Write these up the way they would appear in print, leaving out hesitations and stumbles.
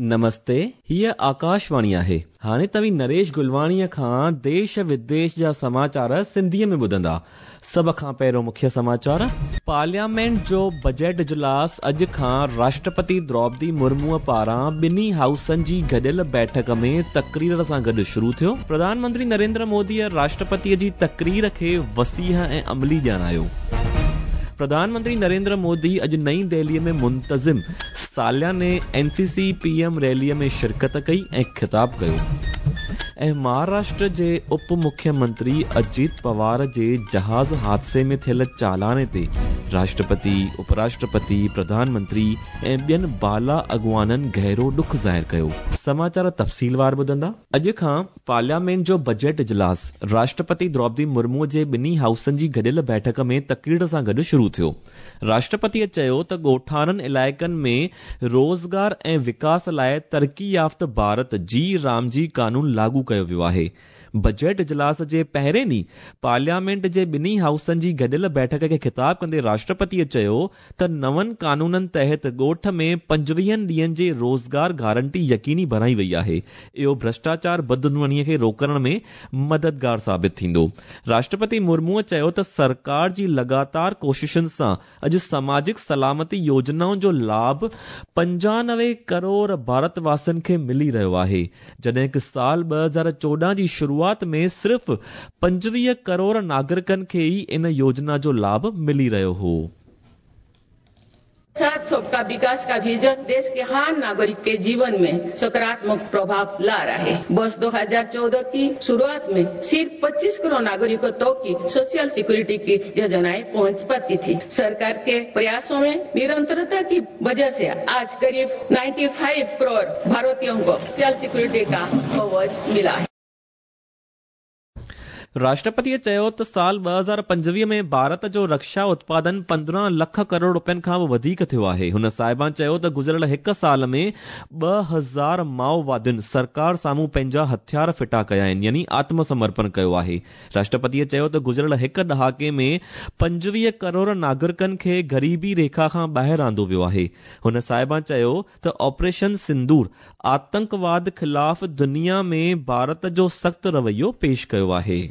نمستي، هيء آڪاشواڻي آهي. هاڻي توهين نريش گلواڻيء کان ديش وديش جا سماچار سنڌيء ۾ ٻڌندا. سڀ کان پهريون مکيه سماچار. پارليامينٽ جو بجيٽ اجلاس اڄ کان راشٽرپتي دروپدي مرموء پاران ٻنهي هائوسن جي گڏيل بيٺڪ ۾ تقرير سان گڏ شروع ٿيو. پرڌان منتري نريندر موديء راشٽرپتيء جي تقرير کي وسيع ۽ عملي ڄاڻايو. پرڌان منتري نريندر مودي اڄ نئين دهليء ۾ منتظم سالياني N C C P M ريليء ۾ شرڪت ڪئي ۽ خطاب ڪيو ۽ مهاراشٽر جي اپ مکيه منتري اجيت پوار جي جهاز حادثي ۾ ٿيل چالاني تي راشٽرپتي، اپراشٽرپتي، پرڌان منتري ۽ ٻين بالا اڳواڻن گهرو ڏک ظاهر ڪيو. سماچار تفصيلوار ٻڌندا. اڄ کان پارليامينٽ جو بجيٽ اجلاس راشٽرپتي دروپدي مرمو جي ٻنهي هائوسن جي گڏيل بيٺڪ ۾ تقرير سان گڏ شروع ٿيو. راشٽرپتيء چيو ته ڳوٺاڻن علائقن ۾ روزگار ۽ وڪاس لاء ترقي يافته ڀارت جي رامجي قانون لاڳو ڪيو ويو آهي. بجيٽ اجلاس جي پهرين ڏينهن پارليامينٽ جي ٻنهي هائوسن جي گڏيل بيٺڪ کي خطاب ڪندي راشٽرپتيء چيو ته نون قانونن تحت ڳوٺ ۾ پنجويهن ڏينهن جي روزگار گارنٽي يقيني بڻائي وئي آهي، اهو ڀرشٽاچار بدعنواني کي روڪڻ ۾ مددگار ثابت ٿيندو. راشٽرپتي مرموء چيو ته سرڪار جي لڳاتار ڪوششن سان اڄ سماجڪ سلامتي يوجنائن جو لاڀ 95 ڪروڙ ڀارت واسين کي ملي رهيو آهي، جڏهن ڪه سال 2014 جي شروعات ۾ صرف 25 ڪروڙ ناگرڪن کي ئي ان يوجنا جو لاڀ ملي رهيو هو. साथ सबका विकास का विजन देश के हर नागरिक के जीवन में सकारात्मक प्रभाव ला रहा है। वर्ष 2014 की शुरुआत में सिर्फ 25 करोड़ नागरिकों तक की सोशल सिक्योरिटी की योजनाएं पहुंच पाती थी। सरकार के प्रयासों में निरंतरता की वजह से आज करीब 95 करोड़ भारतीयों को सोशल सिक्योरिटी का कवच मिला है। راشٽرپتيء چيو ته سال 2025 ۾ ڀارت جو رڪشا اتپادن 15 لک ڪروڙ روپين کان به وڌيڪ ٿيو آهي. هن صاحبان چيو ته گذريل هڪ سال ۾ 2000 مائووادين سرڪار سامهون پنهنجا هٿيار ڦٽا ڪيا آهن يعني آتم سمرپڻ ڪيو آهي. راشٽرپتيء چيو ته گذريل هڪ ڏهاڪي ۾ 25 ڪروڙ ناگرڪن کي غريبي ريکا کان ٻاهر آندو ويو آهي. هن صاحبان چيو ته آپريشن سندور آتنڪواد خلاف دنيا ۾ ڀارت جو سخت رويو پيش ڪيو آهي.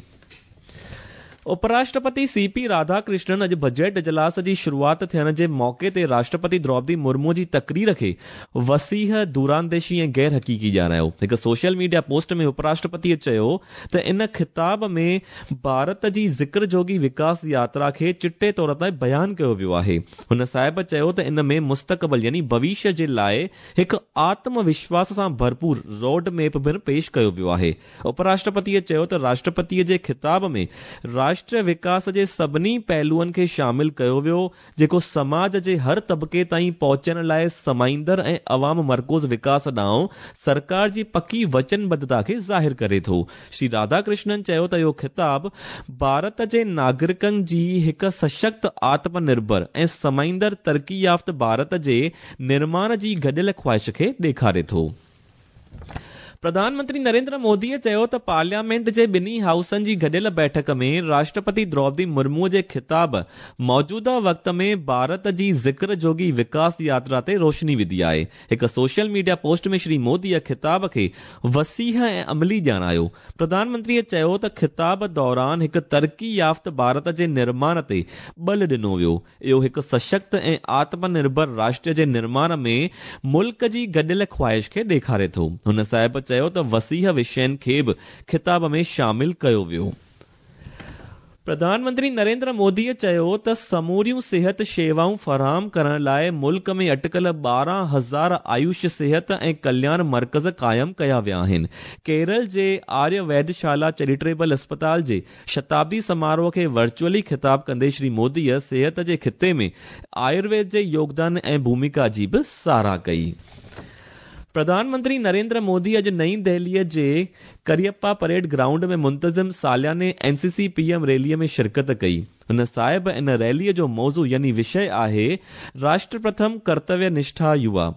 اپراشٽرپتي سي پي راڌا ڪرشنن اڄ بجيٽ اجلاس جي شروعات ٿيڻ جي موقعي تي راشٽرپتي دروپدي مرمو جي تقرير کي وسيع، دورانديشي ۽ غير حقيقي ڄاڻايو. هڪ سوشل ميڊيا پوسٽ ۾ اپراشٽرپتيء چيو ته ان خطاب ۾ ڀارت جي ذڪر جوڳي وڪاس ياترا کي چٽي طور تي بيان ڪيو ويو آهي. هن صاحب چيو ته ان ۾ مستقبل يعني ڀوشيه جي لاء هڪ آتم وشواس سان ڀرپور روڊ ميپ پڻ پيش ڪيو ويو آهي. اپراشٽرپتيء چيو ته راشٽرپتيء جي خطاب ۾ راشٽريه وڪاس جي سڀني پهلوئن کي شامل ڪيو ويو جيڪو سماج جي هر طبقي تائين پهچڻ لاء سمائيندڙ ۽ عوام مرڪوز وڪاس ڏانهن سرڪار جي پڪي وچنبڌتا کي ظاهر ڪري ٿو. شري راڌا ڪرشنن چيو ته اهو خطاب ڀارت جي ناگرڪن جي هڪ سشڪت، آتم نرڀر ۽ سمائيندڙ ترقي يافته ڀارت جي نرماڻ جي گڏيل خواهش کي ڏيکاري ٿو. پرڌان منتري نريندر موديء چيو ته پارليامينٽ جي ٻنهي هائوسن جي گڏيل بيٺڪ ۾ راشٽرپتي دروپدي مرمو جي خطاب موجوده وقت ۾ ڀارت جي ذڪر جوڳي وڪاس ياترا تي روشني وڌي آهي. هڪ سوشل ميڊيا پوسٽ ۾ شري موديء خطاب کي وسيع ۽ عملي ڄاڻايو. پرڌان منتريء چيو ته خطاب دوران هڪ ترقي يافته ڀارت جي نرماڻ تي ٻل ڏنو ويو. اهو هڪ سشڪت ۽ آتم نرڀر راشٽر جي نرماڻ ۾ ملڪ جي گڏيل خواهش کي ڏيکاري ٿو. هن صاحب چيو ته وسيع وشين کي به خطاب ۾ شامل ڪيو ويو. پرڌان منتري نريندر موديء چيو ته سموريون صحت شيوائون فراهم ڪرڻ لاء ملڪ ۾ اٽڪل 12,000 آيوش صحت ۽ ڪلياڻ مرڪز قائم ڪيا ويا آهن. ڪيرل جي آريه ويدشالا چيريٽيبل اسپتال جي شتابدي سماروهه کي ورچوئلي خطاب ڪندي شري موديء صحت جي خطي ۾ آيورويد جي يوگدان ۽ ڀوميڪا جي به ساراهه ڪئي. پرڌان منتري نريندر مودي اڄ نئين دهليء جي ڪريپا پريڊ گرائونڊ ۾ منتظم سالياني اين سي سي پي ايم ريليء ۾ شرڪت ڪئي. هن صاحب ان ريليء جو موضوع يعني وشيه آهي راشٽر پرٿم ڪرتويه نشٺا يووا.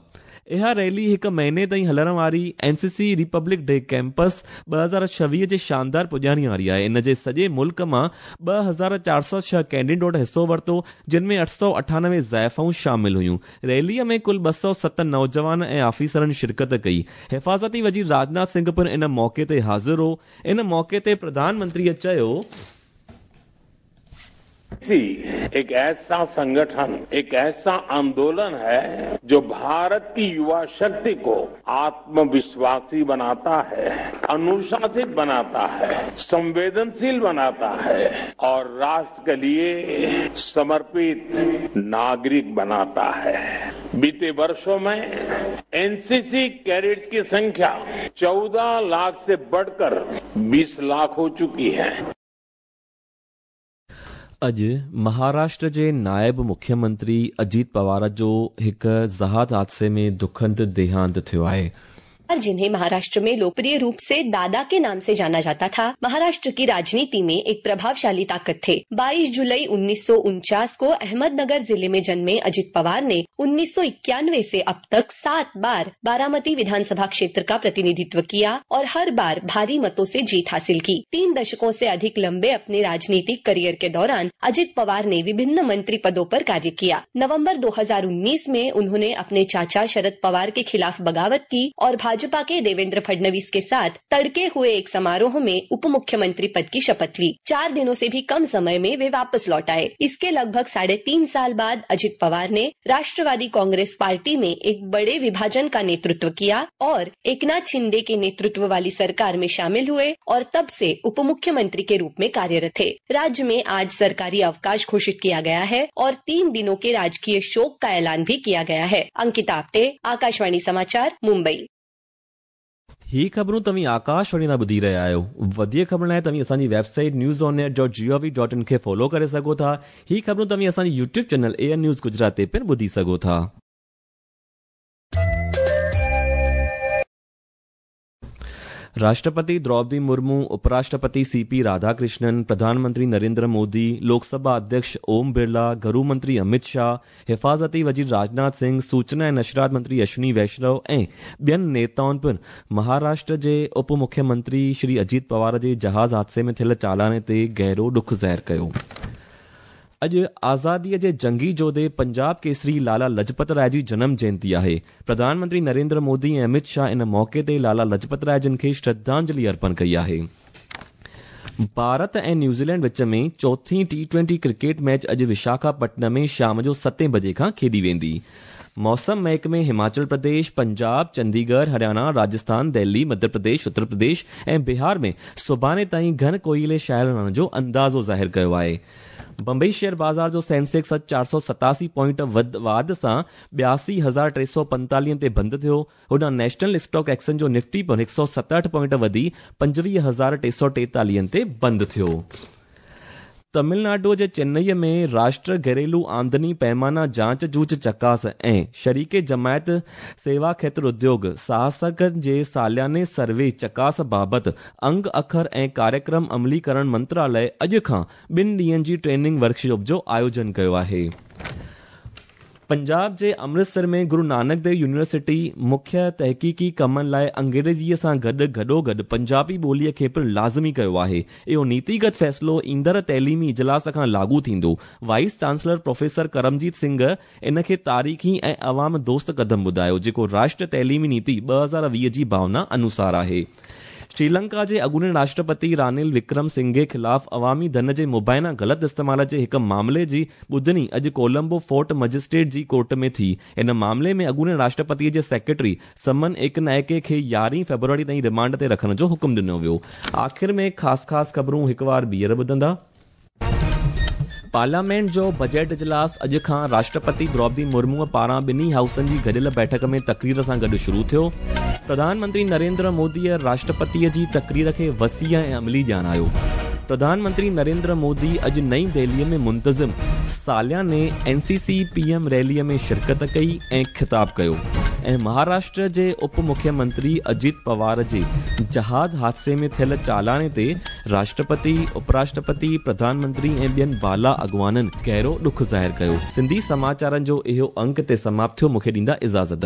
اها ريلي هڪ مهيني تائين هلڻ واري N C C republic day campaign 2026 جي شاندار پڄاڻي واري آهي. ان جي سڄي ملڪ مان 2406 ڪيڊٽن حصو ورتو، جن ۾ 898 زائفائون شامل هيون. ريلي ۾ ڪل 207 نوجوان ۽ آفيسرن شرڪت ڪئي. حفاظتي وزير راجناٿ سنگهه پڻ ان موقعي تي حاضر هو. ان موقعي تي پرڌان منتري چيو. सी एक ऐसा संगठन, एक ऐसा आंदोलन है जो भारत की युवा शक्ति को आत्मविश्वासी बनाता है, अनुशासित बनाता है, संवेदनशील बनाता है और राष्ट्र के लिए समर्पित नागरिक बनाता है। बीते वर्षों में एनसीसी कैडेट्स की संख्या 14 लाख से बढ़कर 20 लाख हो चुकी है। اڄ مهاراشٽر جي نائب مکيه منتري اجيت پوار جو هڪ جهاز حادثي ۾ دکند ديهانت ٿيو آهي. जिन्हें महाराष्ट्र में लोकप्रिय रूप से दादा के नाम से जाना जाता था, महाराष्ट्र की राजनीति में एक प्रभावशाली ताकत थे। 22 जुलाई 1949 को अहमदनगर जिले में जन्मे अजित पवार ने 1991 से अब तक 7 बार बारामती विधानसभा क्षेत्र का प्रतिनिधित्व किया और हर बार भारी मतों से जीत हासिल की। 3 दशकों से अधिक लंबे अपने राजनीतिक करियर के दौरान अजित पवार ने विभिन्न मंत्री पदों पर कार्य किया। नवम्बर 2019 में उन्होंने अपने चाचा शरद पवार के खिलाफ बगावत की और भाजपा के देवेंद्र फडणवीस के साथ तड़के हुए एक समारोह में उप मुख्यमंत्री पद की शपथ ली। 4 दिनों से भी कम समय में वे वापस लौट आए। इसके लगभग 3.5 साल बाद अजित पवार ने राष्ट्रवादी कांग्रेस पार्टी में एक बड़े विभाजन का नेतृत्व किया और एकनाथ शिंदे के नेतृत्व वाली सरकार में शामिल हुए और तब से उप मुख्यमंत्री के रूप में कार्यरत थे। राज्य में आज सरकारी अवकाश घोषित किया गया है और 3 दिनों के राजकीय शोक का ऐलान भी किया गया है। अंकिता आप्टे, आकाशवाणी समाचार, मुंबई। ही ख़बरूं तव्हीं आकाशवाणी तां ॿुधी रहिया आहियो। वधीक ख़बरुनि लाइ तव्हीं असांजी वेबसाइट newsonair.gov.in खे फॉलो करे सघो था। ही ख़बरूं तव्हीं असांजी YouTube channel AIR news Gujarat ते पिणु ॿुधी सघो था। राष्ट्रपति द्रौपदी मुर्मू, उपराष्ट्रपति सीपी राधाकृष्णन, प्रधानमंत्री नरेंद्र मोदी, लोकसभा अध्यक्ष ओम बिरला, घरू मंत्री अमित शाह, हिफाज़ती वज़ीर राजनाथ सिंह, सूचना ऐं नशरात मंत्री अश्विनी वैष्णव ऐं ॿियनि नेताउनि पिणु महाराष्ट्र जे उप मुख्यमंत्री श्री अजीत पवार जे जहाज़ हादसे में थियल चालाने ते गहिरो ॾुख ज़ाहिर कयो। अॼु आज़ादीअ जे जंगी जोधे पंजाब केसरी लाला लजपत राय जी जनम जयंती आहे। प्रधानमंत्री नरेंद्र मोदी ऐं अमित शाह इन मौक़े ते लाला लजपत राय जिन खे श्रद्धांजलि अर्पण कई आहे। भारत ऐं न्यूज़ीलैंड विच में चौथी T20 cricket match अॼु विशाखापट्टनम में शाम जो 7 बजे खां खेॾी वेंदी। मौसम महकमे हिमाचल प्रदेश, पंजाब, चंडीगढ़, हरियाणा, राजस्थान, दिल्ली, मध्य प्रदेश, उत्तर प्रदेश ऐं बिहार में सुभाणे ताईं घन कोइले छायल रहण जो अंदाज़ो ज़ाहिर कयो आहे। बम्बई शेयर बाज़ार जो सेंसेक्स अॼु 487 पॉइंट वाध सां 82,345 ते बंदि थियो। होॾां नेशनल स्टॉक एक्सचेंज जो निफ्टी पिणु 167 पॉइंट वधी 25,343 ते बंदि थियो। तमिलनाडु जे चेन्नईअ में राष्ट्र घरेलू आमदनी पैमाना जांच जूच चकास ऐं शरीके जमायत सेवा क्षेत्र उद्योग साहसकनि जे सालियाने सर्वे चकास बाबति अंग अखर ऐं कार्यक्रम अमलीकरण मंत्रालय अॼु खां 2 ॾींहनि जी ट्रेनिंग वर्कशॉप जो आयोजन कयो आहे। पंजाब जे अमृतसर में गुरु नानक देव यूनिवर्सिटी मुख्य तहक़ीक़ी कमनि लाइ अंग्रेज़ीअ सां गॾु गॾोगॾु पंजाबी ॿोलीअ खे पिणु लाज़मी कयो आहे। इहो नीतिगत फ़ैसिलो ईंदड़ तइलीमी इजलास खां लागू थींदो। Vice chancellor professor Karamjit Singh इन खे तारीख़ी ऐं अवाम दोस्त क़दम ॿुधायो, जेको राष्ट्र तइलीमी नीति 2020 जी भावना अनुसार आहे। श्रीलंका जे अॻूणे राष्ट्रपति रानिल विक्रम सिंघे ख़िलाफ़ अवामी धन जे मुबाइना ग़लति इस्तेमाल जे हिकु मामले जी ॿुधणी अॼु कोलंबो फोर्ट मजिस्ट्रेट जी कोर्ट में थी। इन मामले में अॻूणे राष्ट्रपतीअ जे सेक्रेटरी समन एकनायके खे 11 फेब्रुआरी ताईं रिमांड ते रखण जो हुकुम ॾिनो वियो। आख़िर में ख़ासि ख़ासि ख़बरूं हिकु वार ॿीहर ॿुधंदा। पार्लियामेंट जो बजट इजलास अॼु खां राष्ट्रपति द्रौपदी मुर्मू पारां ॿिन्ही हाउसनि जी गॾियल बैठक में तकरीर सां गॾु शुरू थियो। प्रधानमंत्री नरेंद्र मोदीअ राष्ट्रपतीअ जी तकरीर खे वसीअ ऐं अमली ॼाणायो। प्रधानमंत्री नरेंद्र मोदी अॼु नई दिल्लीअ में मुंतज़िम सालियाने एनसीसी पीएम रैलीअ में शिरकत कई ऐं ख़िताब कयो। ऐं महाराष्ट्र जे उप मुख्यमंत्री अजित पवार जे जहाज़ हादसे में थियल चालाने ते राष्ट्रपति, उपराष्ट्रपति, प्रधानमंत्री ऐं ॿियनि बाला अॻवाननि गहिरो ॾुख ज़ाहिर कयो। सिंधी समाचारनि जो इहो अंक ते समाप्त थियो। मूंखे ॾींदा इजाज़त।